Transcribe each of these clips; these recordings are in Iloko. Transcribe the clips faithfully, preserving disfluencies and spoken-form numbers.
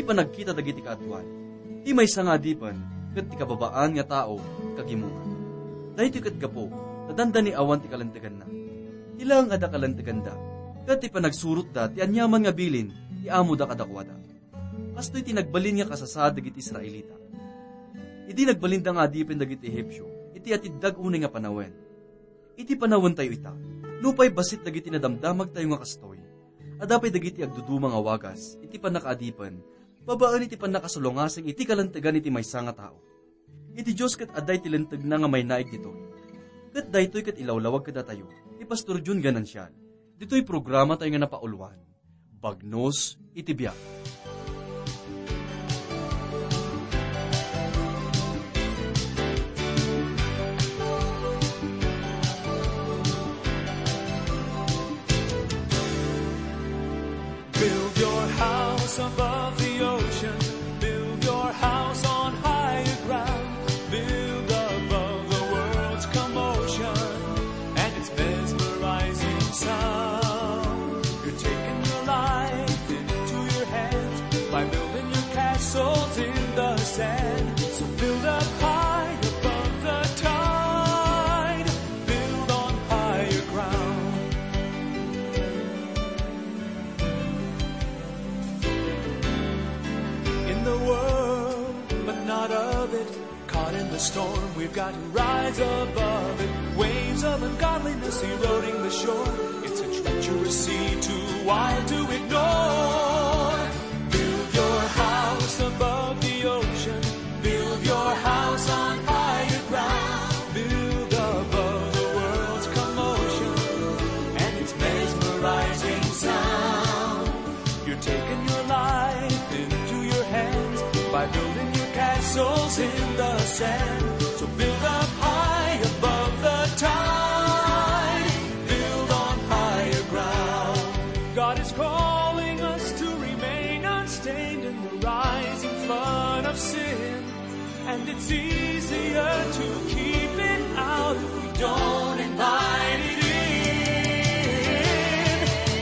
Panagkita dagiti kaaduan. Ti maysa nga adipen ket ti kababaan nga tao kagimongan. Daytoy ket gapu ta dandani awan ti kalenteganna. Ti laeng adda kalenteganda, ket ti panagsurotda ti aniaman nga bilin ti amoda kadakuada. Kastoy ti nagbalin nga kasasaad dagiti Israelita. Idi nagbalinda nga adipen dagiti Ehipsio, iti atiddag unay nga panawen. Iti panawentayo ita, nupay bassit dagiti nadamdamagtayo nga kastoy, adda pay dagiti agduduma nga wagas iti pannakaadipen babaen iti pannakasulongasing iti kalentegan iti maysa nga tao. Iti Dios ket adda iti lentegna nga mainaig ditoy. Ket daytoy ket ilawlawag kadatayo ni Pastor Jun Ganancial. Ditoy programatayo nga napauluan, Bagnos iti Biag. Build your house above the ocean. Build your house on higher ground. Build above the world's commotion and its mesmerizing sound. You're taking your life into your hands by building your castles in the sand. So build up high above the tide. Build on higher ground. In the world, but not of it. Caught in the storm, we've got to rise above it. Waves of ungodliness eroding the shore. It's a treacherous sea too wild to ignore. Build your house above the ocean. Build your house on higher ground. Build above the world's commotion and its mesmerizing sound. You're taking your life into your hands by building your castles in the sand. So build up high above the tide. Build on higher ground. God is calling us to remain unstained in the rising flood of sin. And it's easier to keep it out if we don't invite it in.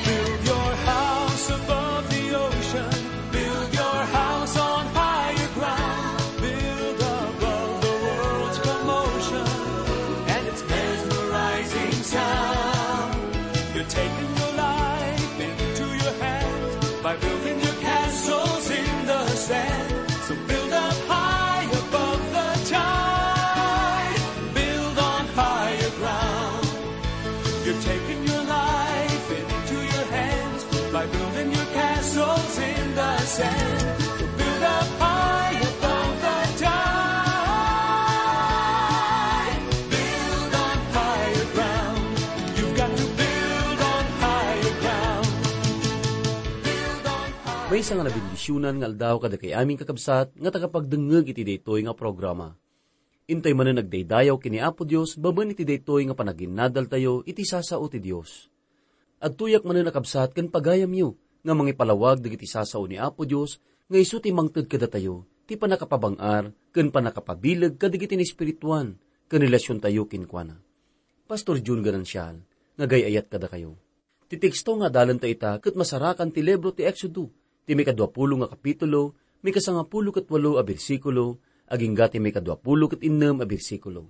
Build your house above the ocean. Build your house on higher ground. Build above the world's commotion and its mesmerizing sound. You're taking your life into your hands by building your castles in the sand. So build up high above the tide. Build on higher ground. You're taking your life into your hands by building your castles in the sand. So build up high above the tide. Build on higher ground. You've got to build on higher ground. Build on higher. Maysa nga nabendisionan nga aldaw kadakay amin, kakabsat, nga tagapagdengngeg iti daytoy nga programa. Intoy manen agdaydayaw ken ni Apo Dios babaen iti daytoy nga panaginnadaltayo iti sasao ti Dios. Agtuyak manen a kabsat ken pagayamyo nga mangipalawag dagiti sasao ni Apo Dios nga isu ti mangted kadatayo ti pannakapabang-ar ken pannakapabileg kadagiti naespirituan ken relasiontayo kenkuana. Pastor Jun Ganancial, nga agay-ayat kadakayo. Ti teksto nga adalenta ita ket masarakan ti libro ti Exodo, ti maikadua pulo nga kapitulo, maikasangapulo ket walo a bersikulo, agingga ti maikadua pulo ket innem a bersikulo.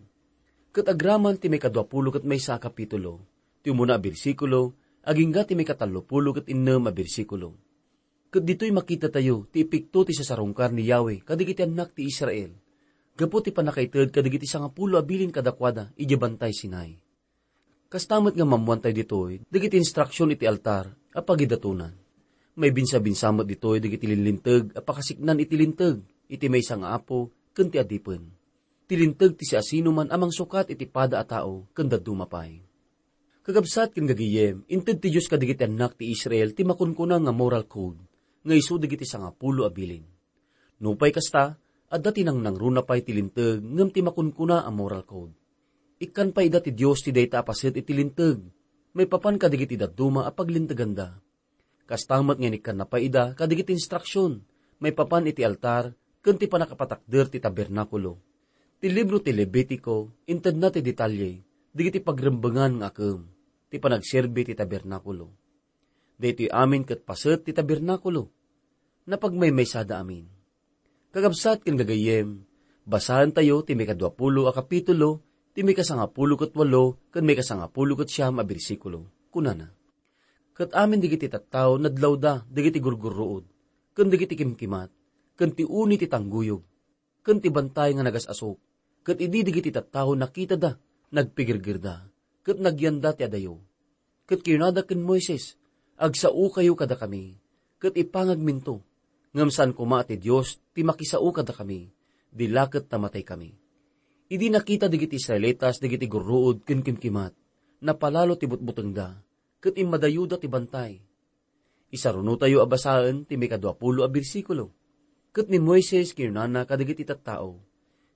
Ket agraman ti maikadua pulo ket maysa a kapitulo, ti umuna a bersikulo, agingga ti maikatallo pulo ket innem a bersikulo. Ket ditoy makitatayo ti epekto ti sasarungkar ni Yahweh kadagiti annak ti Israel, gapu ti pannakaited kadagiti sangapulo a bilin kadakuada idiay Bantay Sinai. Kasta met nga maammoantayo ditoy dagiti instruksion iti altar a pagidatonan. Maibinsabinsa met ditoy dagiti linlinteg a pakasiknan iti Linteg iti maysa nga Apo ken ti Adipen. Ti Linteg ti siasinoman a mangsukat iti pada a tao ken dadduma pay. Kakabsat ken gagayem, inted ti Dios kadagiti annak ti Israel ti makunkuna nga moral code nga isu dagiti sangapulo a bilin. Nupay kasta, adda ti nangnangruna pay ti Linteg ngem ti makunkuna a moral code. Ikkan pay ida ti Dios ti dayta a paset iti Linteg maipapan kadagiti dadduma a paglinteganda. Kasta met nga inikkanna pay ida kadagiti instruksion maipapan iti altar ken ti pannakapatakder ti tabernakulo. Ti libro ti Levitico intedna ti detalye dagiti pagrembengan nga akem ti panagserbi ti tabernakulo. Daytoy amin ket paset ti tabernakulo. Napagmaymaysada amin. Kakabsat ken gagayyem, basaentayo ti maikadua pulo a kapitulo, ti maikasangapulo ket walo ken maikasangapulo ket siam a bersikulo. Kunana, "Ket amin dagiti tattao nadlawda dagiti gurgurruod, ken dagiti kimkimat, ken ti uni ti tangguyog, ken ti bantay nga nagas-asuk, ket idi dagiti tattao nakitada, nagpigirgirda, ket nagyanda ti adayo. Ket kinunada ken Moises, 'Agsaokayo kadakami, ket ipangagminto, ngem saan koma a ti Dios ti makisao kadakami, di la ket ta mataykami.' Idi nakita dagiti Israelitas dagiti gurruod ken kimkimat, napalalo ti butbutengda, ket immadayoda ti bantay." Isarunotayo a basaen ti maikadua pulo a bersikulo. Ket ni Moises kinunana kadagiti tattao,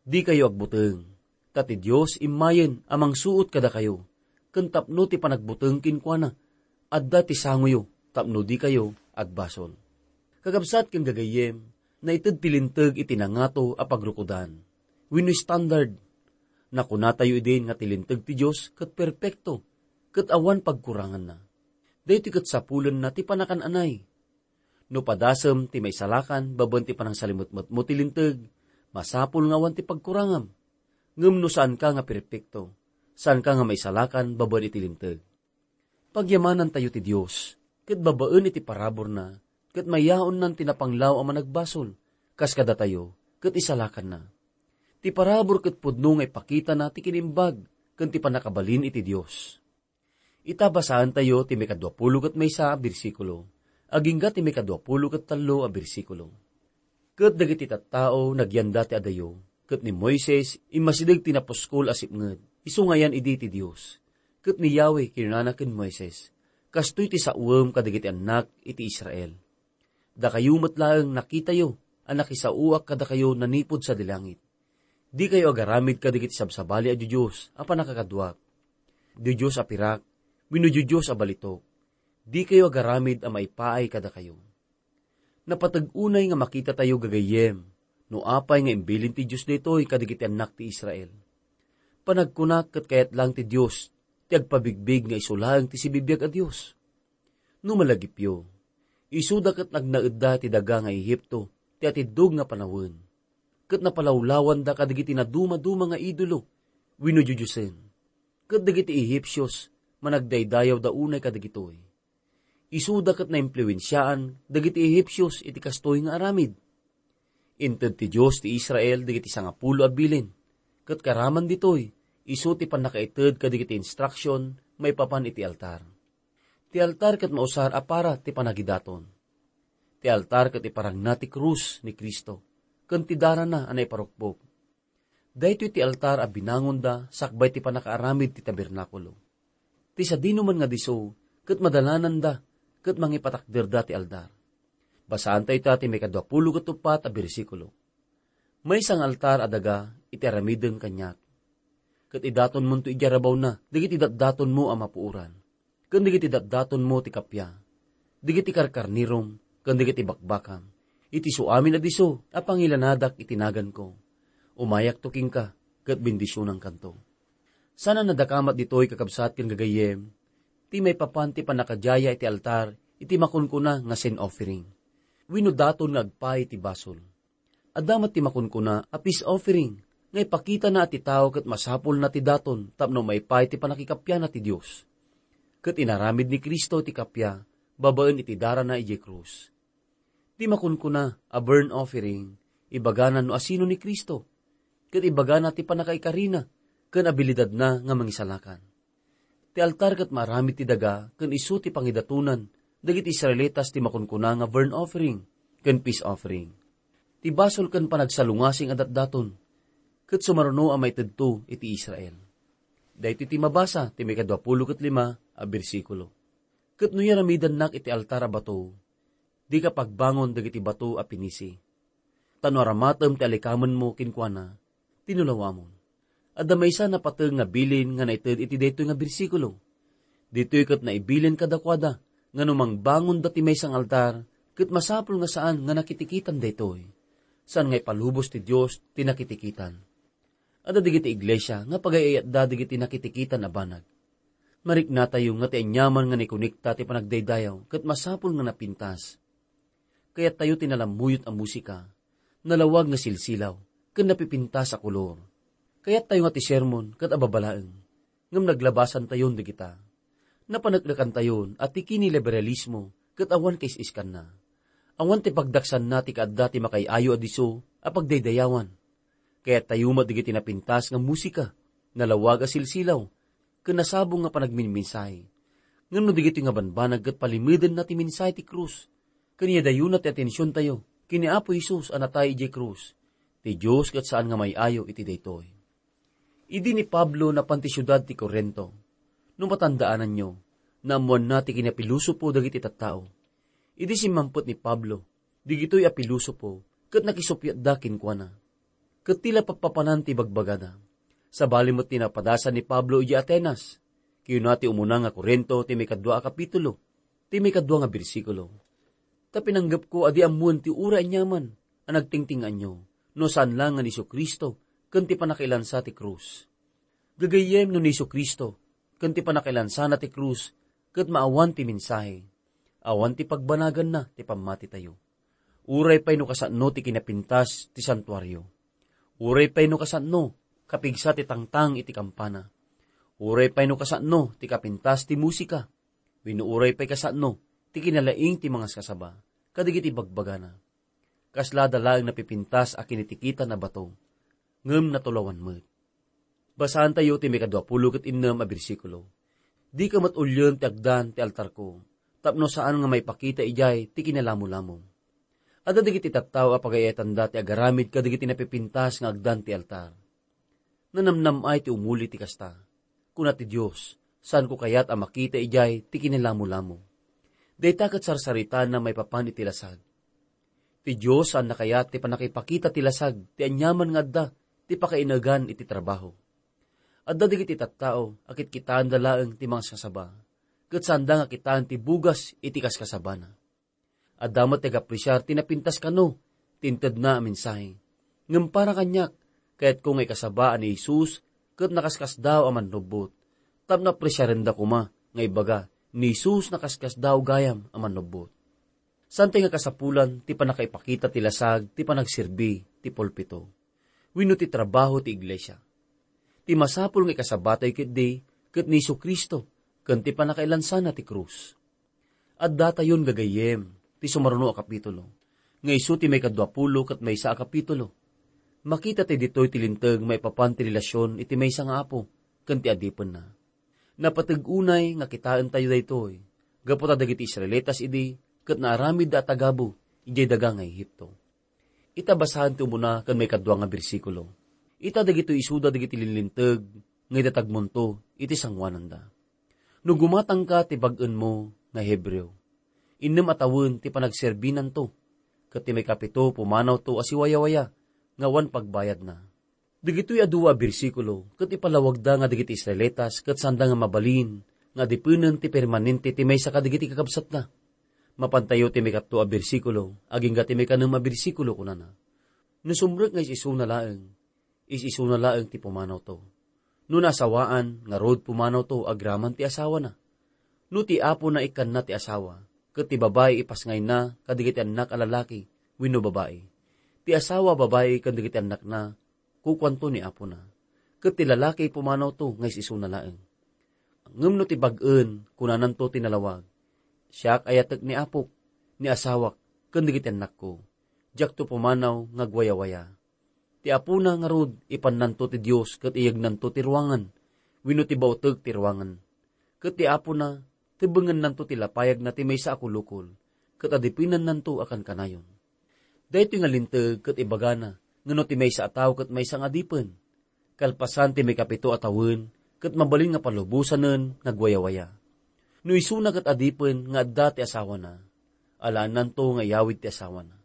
"Dikayo agbuteng, ta ti Dios immayen a mangsuot kadakayo, ken tapno ti panagbuteng kenkuana, adda ti sangoyo tapno dikayo agbasol." Kakabsat ken gagayyem, naited ti Linteg iti nangato a pagrukodan wenno standard. Nakunatayo idin nga ti Linteg ti Dios ket perpekto, ket awan pagkuranganna. Daytoy ket sapulenna ti panakan-anay. No padasem ti maisalakan babaen ti panangsalimetmetmo ti Linteg, masapul nga awan ti pagkurangam. Ngem no saanka nga perpekto, saanka nga maisalakan babaen iti Linteg. Pagyamanantayo ti Dios, ket babaen iti paraburna, ket mayaonnan ti napanglaw a managbasol, kas kadatayo, ket isalakanna. Ti parabur ket pudno nga ipakitana ti kinimbag ken ti pannakabalin iti Dios. Ita, basaentayo ti maikadua pulo ket maysa a bersikulo, agingga ti maikadua pulo ket tallo a bersikulo. Ket dagiti tattao nagyanda ti adayo, ket ni Moises immasideg ti napuskol a sipnget, isu nga ayan idi ti Dios. Ket ni Yahweh kinunana ken Moises, "Kastoy ti saoem kadagiti annak iti Israel. Dakayo met laeng nakitayo a nakisaoak kadakayo nanipud sadi langit. Dikayo agaramid kadagiti sabsabali a diodios a pannakakaduak, diodios a pirak, wenno diodios a balitok. Dikayo agaramid a maipaay kadakayo." Napateg unay nga makitatayo gagayyem no apay nga imbilin ti Dios daytoy kadagiti annak ti Israel. Panagkunak ket kayat laeng ti Dios ti agpabigbig nga isu laeng ti sibibiag a Dios. No malagipyo, isuda ket nagnaedda ti daga nga Egipto ti atiddog nga panawen, ket napalawlawanda kadagiti nadumaduma nga idolo wenno diodiosen, ket dagiti Ehipsios managdaydayawda unay kadagitoy. Isuda ket naimpluensiaan dagiti Ehipsios iti kastoy nga aramid. Inted ti Dios ti Israel dagiti sangapulo a bilin, ket karaman ditoy, isu ti pannakaited kadagiti instruksion maipapan iti altar. Ti altar ket mausar a para ti panagidaton. Ti altar ket iparangna ti krus ni Cristo, ken ti darana a naiparukbok. Daytoy ti altar a binangonda sakbay ti pannakaaramid ti tabernakulo. Ti sadinoman nga disso ket madalananda ket mangipatakderda ti altar. Basaanta ita ti maikadua pulo ket uppat a bersikulo. Maysa nga altar a daga iti aramiden kaniak. Ket idatonmonto idiay rabawna dagiti datdatonmo a mapuoran, ken dagiti datdatonmo ti kappia, dagiti karkarnerom, ken dagiti bakbakam, iti suamin a disso a pangilanadak iti naganko. Umayakto kenka, ket bendisionankanto. Saan a nadakamat ditoy, kakabsat ken gagayyem, ti maipapan ti pannakadiaya iti altar iti makunkuna nga sin offering, wenno daton nga agpaay ti basol. Adda met ti makunkuna a peace offering nga ipakitana a ti tao ket masapulna ti daton tapno maipaay ti pannakikappiana ti Dios. Ket inaramid ni Cristo ti kappia babaen iti darana idiay krus. Ti makunkuna a burnt offering, ibagana no asino ni Cristo, ket ibagana ti pannakaikarina ken abilidadna nga mangisalakan. Ti altar ket maaramid ti daga ken isu ti pangidatonan dagiti Israelitas ti makunkuna nga burnt offering ken peace offering. Ti basol ken panagsalungasing a datdaton ket sumaruno a maitedto iti Israel. Daytoy ti mabasa ti maikadua pulo ket lima a bersikulo. Ket no yaramidannak iti altar a bato, dika pagbangon dagiti bato a pinisi. Ta no aramatem ti alikamenmo kenkuana, tinulawamon. Adda maysa napateg nga bilin nga naited iti daytoy nga bersikulo. Ditoy ket naibilin kadakuada nga no mangbangonda ti maysa nga altar, ket masapul nga saan nga nakitikitan daytoy. Saan nga ipalubos ti Dios ti nakitikitan. Adda dagiti iglesia nga pagay-ayatda dagiti nakitikitan a banag. Mariknatayo nga ti aniaman nga naikonekta ti panagdaydayaw ket masapul nga napintas. kayattayo ti nalammuyot a musika, nalawag nga silsilaw, ken napipintas a kolor. Kayattayo nga ti sermon ket ababa laeng, ngem naglabasantayon dagita. Napaneknekantayon a ti kiniliberalismo ket awan kais-iskanna. Awan ti pagdaksanna ti kaadda ti makaay-ayo a disso a pagdaydayawan. Kayattayo met dagiti napintas nga musika, nalawag a silsilaw, ken nasabong nga panagminmensahe. Ngem no dagitoy nga banbanag ket palimedenna ti mensahe ti krus, ken iyadayonna ti atensiontayo ken ni Apo Jesus a natay idiay krus, ti Dios ket saan nga maay-ayo iti daytoy. Idi ni Pablo napan ti siudad ti Corinto, no matandaananyo, naammoanna ti kinapilosopo dagiti tattao. Idi simmampet ni Pablo, digitoy a pilosopo ket nakisuppiatda kenkuana. Ket ti la pappapanan ti bagbagada. Sabali met ti napadasan ni Pablo idiay Atenas. Kinuna ti umuna nga Corinto ti maikadua a kapitulo, ti maikadua nga bersikulo. Ta pinanggepko a di ammoen ti uray aniaman a nagtingtingaanyo, no saan la nga ni Jesu-Cristo ken ti pannakailansa ti krus. Gagayyem, no ni Jesu-Cristo ken ti pannakailansana ti krus ket maawan ti mensahe, awan ti pagbanaganna ti pammatitayo. Uray pay no kasano ti kinapintas ti santuario. Uray pay no kasano kapigsa ti tangtang iti kampana. Uray pay no kasano ti kapintas ti musika. Wenno uray pay kasano ti kinalaing ti mangaskasaba kadagiti bagbagana. Kaslada laeng napipintas a kinitikitan a bato, ngem natulawan met. Basaantayo ti maikadua pulo ket innem a bersikulo. Dika met ulien ti agdan ti altarko, tapno saan nga maipakita idiay ti kinalamolamo. Adda dagiti tattao a pagay-ayatanda ti agaramid kadagiti napipintas nga agdan ti altar. Nanamnam-ay ti umuli ti kasta. Kuna ti Dios, saanko kayat a makita idiay ti kinalamolamo. Dayta ket sarsaritana maipapan iti lasag. Ti Dios saanna kayat ti pannakipakita ti lasag ti aniaman nga adda ti pakainagan iti trabaho. Adda dagiti tattao a kitkitaenda laeng ti mangaskasaba, ket saanda nga kitaen ti bugas iti kaskasabana. Adda met ti agapresiar ti napintas kano ti intedna a mensahe. Ngem para kaniak, kayatko nga ikasaba a ni Jesus ket nakaskasdaaw a mannubbot, tapno apresiarenda koma nga ibaga, "Ni Jesus nakaskasdaaw gayam a mannubbot." Saan ti nga kasapulan ti pannakaipakita ti lasag ti panagserbi ti pulpito wenno ti trabaho ti iglesia. Ti masapul nga ikasabatayo ketdi ket ni Jesu-Cristo ken ti pannakailansana ti krus. Addatayon gagayyem ti sumaruno a kapitulo, nga isu ti maikadua pulo ket maysa a kapitulo. Makita ti ditoy ti linteg maipapan ti relasion iti maysa nga Apo ken ti adipenna. Napateg unay nga kitaentayo daytoy gapu ta dagiti Israelitas idi ket naaramidda a tagabu idiay daga nga Egipto. Ita basaen ti umuna ken maikadua nga bersikulo. Ita dagitoy isuda dagiti linlinteg nga idatagmonto iti sangoananda. No gumatangka ti bag-enmo nga Hebreo, innem a tawen ti panagserbinanto, ket ti maikapito pumanawto a siwayawaya nga awan pagbayadna. Dagitoy a dua a bersikulo ket ipalawagda nga dagiti Israelitas ket sanda nga mabalin nga adipenen ti permanente ti maysa kadagiti kakabsatna. Mapantayo ti maikatlo a bersikulo agingga ti maikanem a bersikulo, kunana, "No sumrek nga is-isuna laeng, is-isuna laeng ti pumanawto. No naasawaan, ngarud pumanawto agraman ti asawana. No ti apona ikkanna ti asawa, ket ti babai ipasngayna kadagiti annak a lalaki wenno babai, ti asawa a babai ken dagiti annakna, kukuanto ni apona, ket ti lalaki pumanawto nga is-isuna laeng. Ngem no ti bag-en, kunananto ti nalawag, 'Siak ayatek ni apok, ni asawak, ken dagiti annakko. Diakto pumanaw nga agwayawaya.' Ti apona ngarud, ipannanto ti Dios ket iyegnanto ti ruangan wenno ti bauteg ti ruangan. Ket ti apona, tebbengennanto ti lapayagna ti maysa a kulukol, ket adipenannanto a kankanayon." Daytoy nga linteg ket ibagana nga no ti maysa a tao ket maysa nga adipen, kalpasan ti maikapito a tawen, ket mabalin nga palubosanen nga agwayawaya. No isuna ket adipen nga adda ti asawana, alaennanto nga iyawid ti asawana.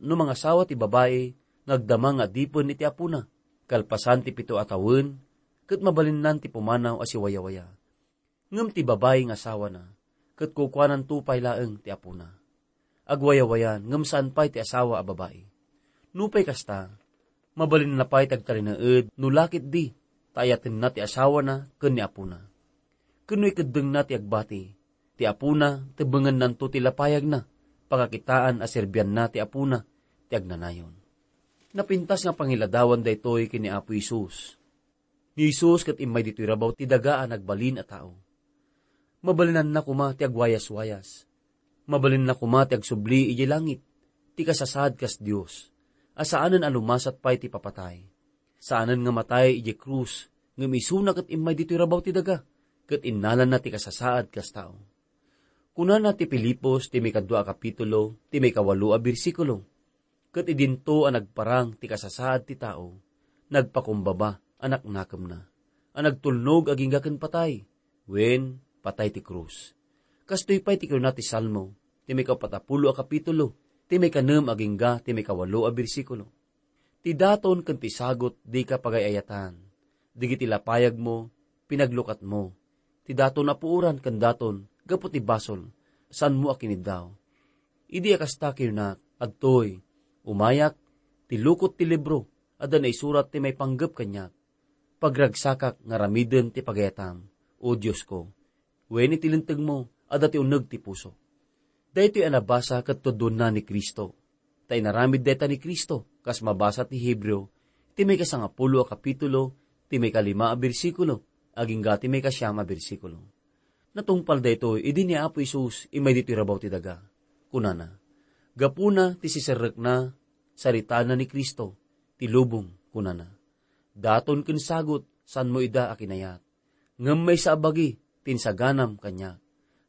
No mangasawa ti babai nga agdama nga adipen iti apona, kalpasan ti pito a tawen, ket mabalinnan ti pumanaw a siwayawaya. Ngem ti babai nga asawana, ket kukuananto pay laeng ti apona. Agwayawayan, ngem saan pay ti asawa a babai. Nupay kasta, mabalinna pay ti agtalinaed no la ketdi, ta ayatenna ti asawana ken ni apona. Ken no ikeddengna ti agbati, ti apona, tebbengennanto ti lapayagna, pakakitaan a serbianna ti Apona ti agnanayon. Napintas nga pangiladawan daytoy ken ni Apo Jesus. Ni Jesus ket immay ditoy rabaw ti daga a nagbalin a tao. Mabalinanna koma ti agwayaswayas. Mabalinna koma ti agsubli idiay langit, ti kasasaad kas Dios, a saanen a lumasat pay ti papatay. Saanen nga matay idiay krus, ngem isuna ket immay ditoy rabaw ti daga, ket innalanna ti kasasaad kas tao. Kunana ti Filipos ti maikadua a kapitulo, ti maikawalo a bersikulo, "Ket idinto a nagparang ti kasasaad ti tao, nagpakumbaba a naknakemna, a nagtulnog agingga ken patay, wen, patay ti krus." Kastoy pay ti kinuna ti Salmo, ti maikapatapulo a kapitulo, ti maikanem agingga ti maikawalo a bersikulo. Ti daton ken ti sagot dika pagay-ayatan. Dagiti lapayagmo, pinaglukatmo. Ti daton a puoran ken daton gapu ti basol, saanmo a kiniddaw. Idi a kasta, kinuna, adtoy, umayak, ti lukot ti libro, adda naisurat ti maipanggep kaniak. Pagragsakak nga aramiden ti pagayatam, O Diosko, wen iti lintegmo, adda ti uneg ti puso. Daytoy a nabasa ket tudonna ni Cristo. Ta inaramid dayta ni Cristo, kas mabasa ti Hebreo, ti maikasangapulo a kapitulo, ti maikalima a bersikulo, agingga ti maikasiam a bersikulo. Natungpal daytoy idi ni Apo Jesus immay ditoy rabaw ti daga. Kunana, gapuna ti siserrekna, saritaenna ni Cristo, ti lubong, kunana. Daton ken sagot, saanmo ida a kinayat. Ngem maysa a bagi ti insaganam kaniak.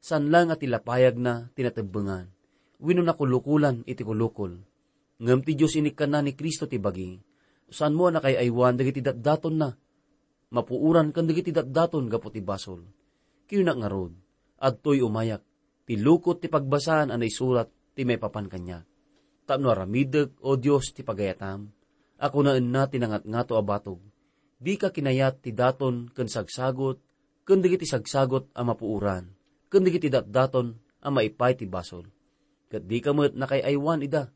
Saan laeng a ti lapayagna ti natebbengan, wenno nakulukolan iti kulukol. Ngem ti Dios inikkanna ni Cristo ti bagi. Saanmo a nakaay-aywan dagiti datdatonna, mapuoran ken dagiti datdaton gapu ti basol. Kinuna ngarud, adtoy umayak, ti lukot ti pagbasaan a naisurat ti maipapan kaniak. Tapno aramidek, O Dios, ti pagayatam, a kunaenna ti nangatngato a batog, dika kinayat ti daton ken sagsagot, ken dagiti sagsagot a mapuoran, ken dagiti datdaton a maipay ti basol. Ket dika met nakaay-aywan ida,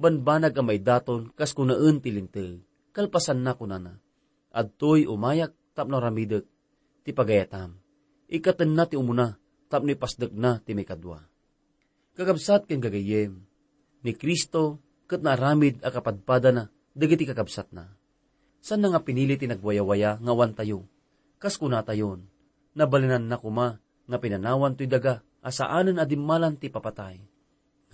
banbanag a maidaton kas kunaen ti linteg. Kalpasanna, kunana, adtoy umayak tapno aramidek ti pagayatam. Ikkatenna ti umuna tapno ipasdekna ti maikadua. Kakabsat ken gagayyem, ni Cristo ket naaramid a kapadpadana dagiti kakabsatna. Saanna nga pinili ti nagwayawaya nga awantayo. Kas kunatayon, nabalinanna koma nga pinanawan toy daga a saanen a dimmalan ti papatay.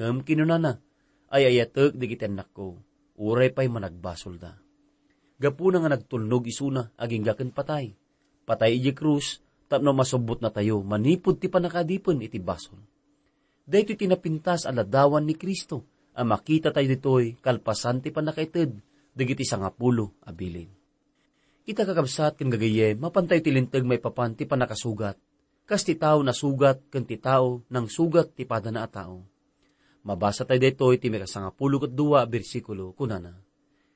Ngem kinunana, "Ay-ayatek dagiti annakko, uray pay managbasolda." Gapuna nga nagtulnog isuna agingga ken patay. Patay idiay krus tapno masubbotnatayo manipud ti pannakaadipen iti basol. Daytoy ti napintas a ladawan ni Cristo a makitatayo ditoy kalpasan ti pannakaited dagiti sangapulo a bilin. Ita, kakabsat ken gagayyem, mapantayo ti linteg maipapan ti pannakasugat. Kas ti tao nasugat ken ti tao nangsugat ti padana a tao. Mabasatayo daytoy ti maikasangapulo ket dua a bersikulo, kunana,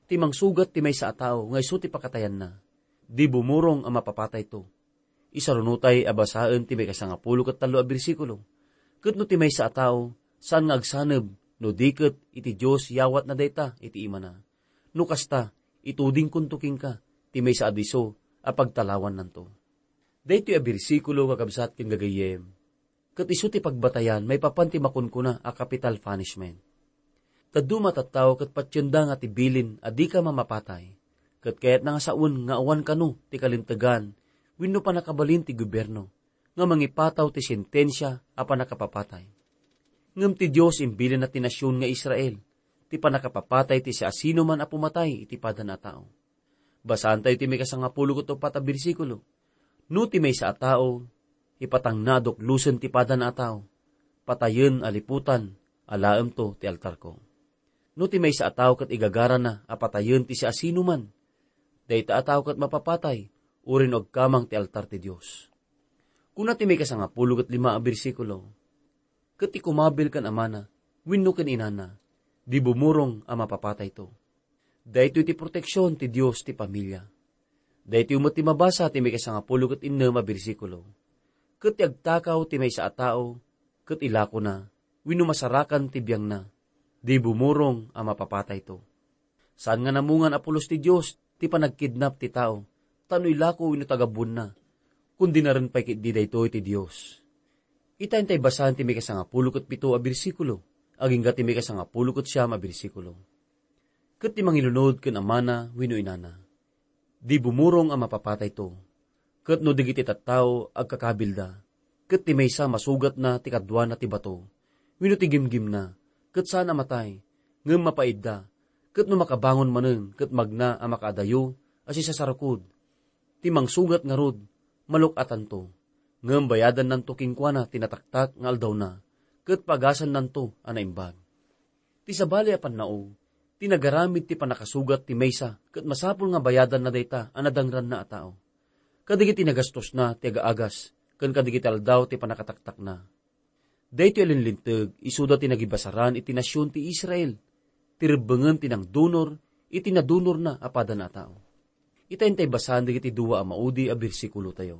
"Ti mangsugat ti maysa a tao nga isu ti pakatayanna, di bumurong a mapapatayto." Isarunotay a basaen ti maikasangapulo ket tallo a bersikulo. Ket no ti maysa a tao saan nga agsaneb, no di ket iti Dios yawatna dayta iti imana. No kasta, itudingkonto kenka ti maysa a disso a pagtalawannanto. Daytoy a bersikulo, kakabsat ken gagayyem, ket isu ti pagbatayan maipapan ti makunkuna a capital punishment. Dadduma a tattao ket patienda nga ti bilin a dika mamapatay, ket kayatna nga sawen nga awan kano ti kalintegan wenno pannakabalin ti gobierno nga mangipataw ti sentensia a pannakapapatay. Ngem ti Dios imbilinna ti nasion nga Israel ti pannakapapatay ti siasinoman a pumatay iti padana a tao. Basaantayo ti maikasangapulo ket uppat a bersikulo. No ti maysa a tao, ipatangna a duklosen ti padana a tao, patayen a liputan, alaemto ti altarko. No ti maysa a tao ket igagarana a patayen ti siasinoman, dayta a tao ket mapapatay, uray no agkamang ti altar ti Dios. Kuna ti maikasangapulo ket lima a bersikulo, ket ti kumabil ken amana wenno ken inana, di bumurong a mapapatayto. Daytoy ti proteksion ti Dios ti pamilia. Daytoy met ti mabasa ti maikasangapulo ket innem a bersikulo. Ket ti agtakaw ti maysa a tao, ket ilakona, wenno masarakan ti biangna, di bumurong a mapapatayto. Saan nga namungan a pulos ti Dios ti panagkidnap ti tao, tapno ilako wenno tagabuenna, kun dinaren pay ketdi daytoy ti Dios. Ita, intay basaen ti maikasangapulo ket pito a bersikulo. agingga ti maikasangapulo ket siam a bersikulo. Ket ti mangilunod ken amana wenno inana, di bumurong a mapapatayto. Ket no dagiti tattao agkakabilda, ket ti maysa masugatna ti kaduana ti bato, wenno ti gimgimna, ket saan a matay, ngem mapaidda, ket no makabangon manen ket magna a makaadayo a sisasarukod, ti mangsugat ngarud, maluk-atanto, ngem bayadannanto kenkuana ti nataktak nga aldawna, ket pagasannanto a naimbag. Ti sabali a pannao, ti nagaramid ti pannakasugat ti maysa ket masapul nga bayadanna dayta a nadangranna a tao, kadagiti nagastosna ti agaagas ken kadagiti aldaw ti pannakataktakna. Daytoy a linlinteg isuda ti nagibasaran iti nasion ti Israel, ti rebbengen ti nangdunor iti nadunorna a padana a tao. Ita intay basaen dagiti dua a maudi a bersikulotayo.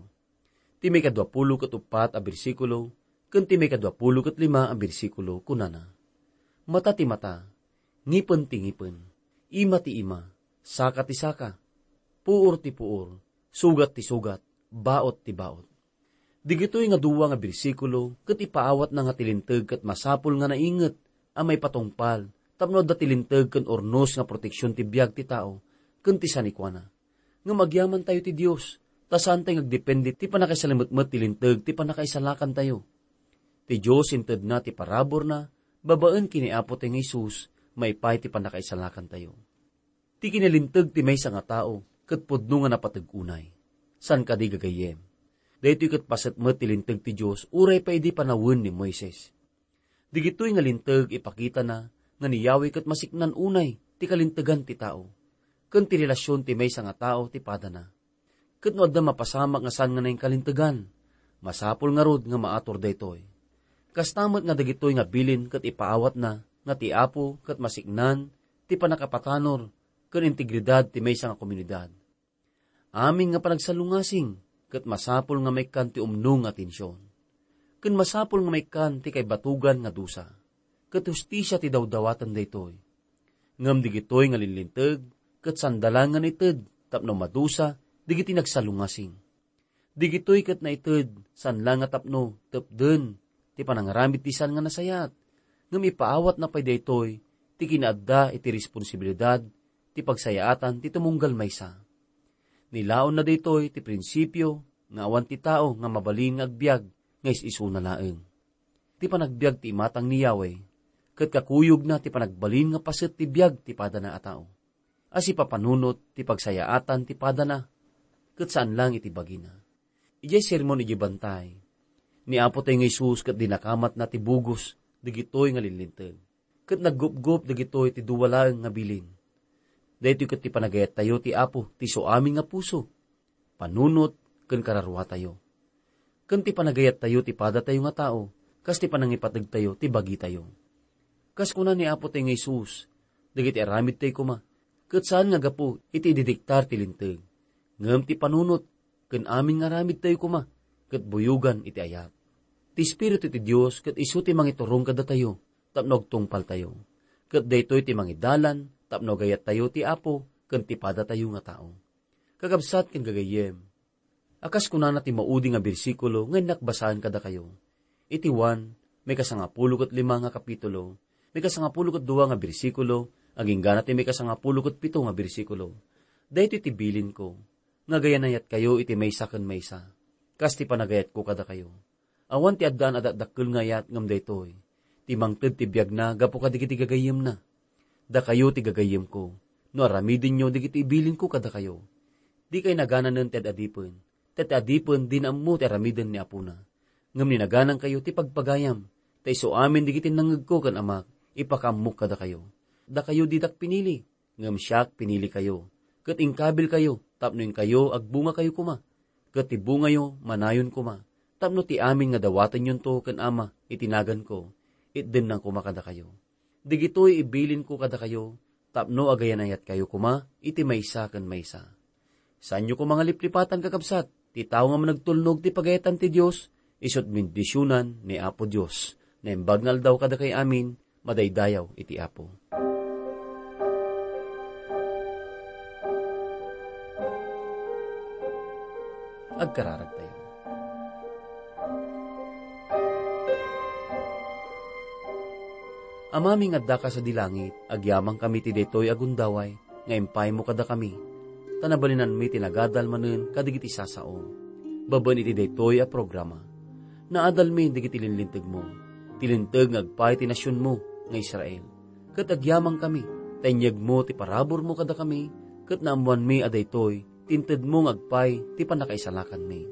Ti maikadua pulo ket uppat a bersikulo ken ti maikadua pulo ket lima a bersikulo kunana, "Mata ti mata, ngipen ti ngipen, ima ti ima, saka ti saka, puor ti puor, sugat ti sugat, baot ti baot." Digitoy nga dua nga bersikulo ket ipaawatna nga ti linteg ket masapul nga nainget a maipatungpal tapno adda ti linteg ken urnos nga proteksion ti biag ti tao ken ti sanikuana. Ngem agyamantayo ti Dios, ta saantayo nga agdepende ti pannakaisalametmet ti linteg ti pannakaisalakantayo. Ti Dios intedna ti paraburna babaen ken ni Apotayo nga Jesus maipaay ti pannakaisalakantayo. Ti kinalinteg ti maysa nga tao ket pudno nga napateg unay. Saan kadi, gagayyem? Daytoy ket paset met ti linteg ti Dios uray pay idi panawen ni Moises. Digitoy nga linteg ipakitana nga ni Yahweh ket masiknan unay ti kalintegan ti tao, ken ti relasion ti maysa nga tao ti padana. Ket no adda mapasamak nga saan nga nainkalintegan, masapul ngarud nga maator daytoy. Kasta met nga dagitoy nga bilin ket ipaawatna nga ti Apo ket masiknan ti pannakapatanor ken integridad ti maysa nga komunidad. Amin nga panagsalungasing ket masapul nga maikkan ti umno nga atension. Ken masapul nga maikkan ti kaibatugan nga dusa. Ket hustisia ti dawdawaten daytoy. Ngem digitoy nga linlinteg ket sanda la nga naited tapno madusa dagiti nagsalungasing. Digitoy ket naited saan la nga tapno tepden ti panangaramid ti saan nga nasayaat, ngem ipaawatna pay daytoy ti kinaadda iti responsibilidad ti pagsayaatan ti tumunggal maysa. Nilaonna daytoy ti prinsipio nga awan ti tao nga mabalin nga agbiag nga is-isuna laeng. Ti panagbiag ti imatang ni Yahweh, ket kakuyogna ti panagbalin nga paset ti biag ti padana a tao. A sipapanunot ti pagsayaatan ti padana, ket saan lang iti bagina. Idiay sermon idiay bantay, ni Apo tayo nga Jesus ket dinakamatna ti bugos dagitoy nga linlinteg. Ket naggupgop dagitoy ti dua laeng nga bilin. Daytoy ket ti panagayattayo ti Apo ti isu amin nga puso, panunot, ken kararuatayo. Ken ti panagayattayo ti padatayo nga tao, kas ti panangipategtayo ti bagitayo. Kas kuna ni Apo tayo nga Jesus, dagiti aramidtayo koma, ket saan nga gapu iti ididiktar ti linteg, ngem ti panunot, ken amin nga aramidtayo koma, ket buyogan iti ayat. Ti Espiritu ti Dios ket isu ti mangiturong kadatayo, tapno agtungpaltayo. Ket daytoy ti mangidalan, tapno agayattayo ti Apo ken ti padatayo nga tao. Kakabsat ken gagayyem, a kas kunana ti maudi nga bersikulo nga innak basaen kadakayo, iti Juan, maikasangapulo ket lima nga kapitulo, maikasangapulo ket dua nga bersikulo, agingga na ti maikasangapulo ket pito nga bersikulo. Daytoy ti bilinko, nga agayanayatkayo iti maysa ken maysa, kas ti panagayatko kadakayo. Awan ti addaan a dakdakkel nga ayat ngem daytoy, ti mangted ti biagna gapu kadagiti gagayyemna. Dakayo ti gagayyemko, no aramidenyo dagiti ibilinko kadakayo. Dikay nagananen ti ad-adipen, ta ti adipen dina ammo ti aramiden ni apona. Ngem ni naganankayo ti pagpagayam, ta isu amin dagiti nangngegko ken Amak, ipakaammok kadakayo. Dakayo didak pinili, ngem siak pinilikayo, ket inkabilkayo tapno inkayo agbungakayo koma, ket ti bungayo manayon koma, tapno ti amin nga dawatenyonto ken Ama iti naganko, itdenna koma kadakayo. Dagitoy ibilinko kadakayo tapno agayanayatkayo koma iti maysa ken maysa. Saanyo koma nga liplipatan, kakabsat, ti tao nga managtulnog ti pagayatan ti Dios, isut' bendisionan ni Apo Dios. Naimbag nga aldaw kadakay amin, madaydayaw iti Apo. Agkararagtayo. Amami nga addaka sadi langit, agyamankami ti daytoy a gundaway nga impaymo kadakami, ta nabalinanmi ti nagadal manen kadagiti sasaom. Babaen iti daytoy a programa, naadalmi dagiti linlintegmo, ti linteg nga agpay ti nasionmo nga Israel. Ket agyamankami, ta inyegmo ti paraburmo kadakami, ket naammoanmi a daytoy ti intedmo nga agpay ti pannakaisalakanmi.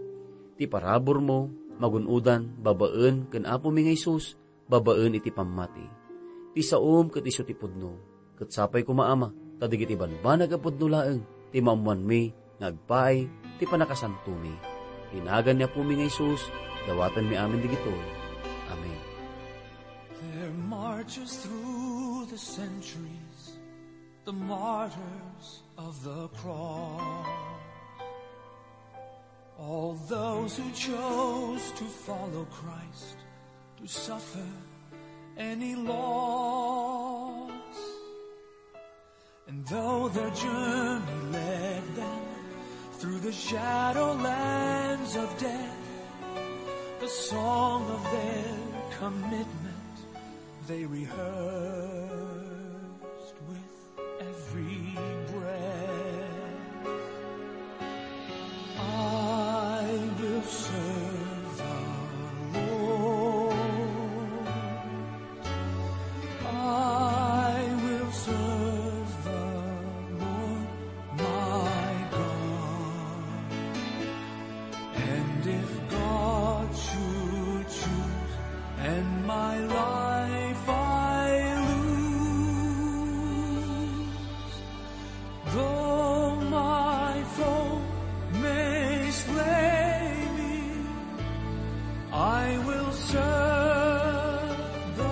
Ti paraburmo, magun-odan babaen ken Apomi nga Jesus, babaen iti pammati. Ti saom ket isu ti pudno. Ket sapay koma, Ama, ta dagiti banbanag a pudno laeng ti maammoanmi nga agpaay ti pannakasantomi. Iti nagan ni Apomi nga Jesus, dawatenmi amin dagitoy. Amen. There marches through the centuries the martyrs of the cross. All those who chose to follow Christ, to suffer any loss. And though their journey led them through the shadow lands of death, the song of their commitment they rehearsed with every breath. I will serve the Lord. I will serve the Lord my God. And if God should choose and my life I lose, though my foe may slay me, I will serve the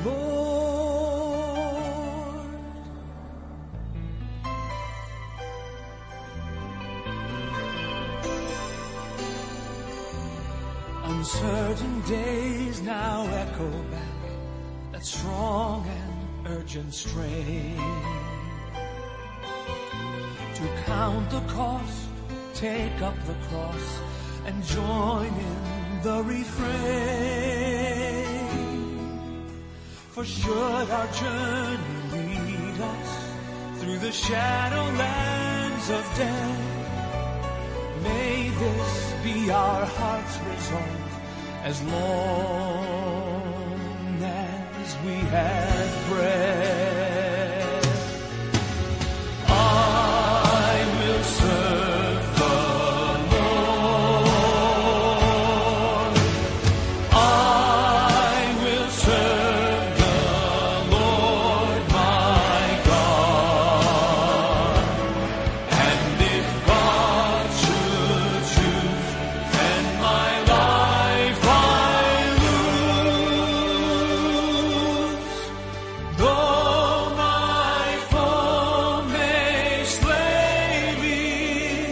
Lord. Uncertain days now echo back that strong and urgent strain. To count the cost, take up the cross, and join in the refrain. For should our journey lead us through the shadow lands of death, may this be our heart's resolve as long as we have breath. I will serve the Lord. I will serve the Lord my God. And if God should choose, then my life I lose. Though my foe may slay me,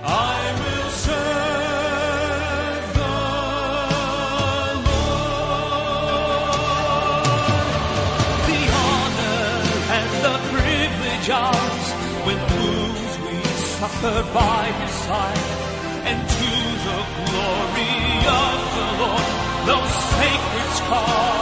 I will serve the Lord. The honor and the privilege ours when wounds we suffer by his side, and to the glory of the Lord, those sacred scars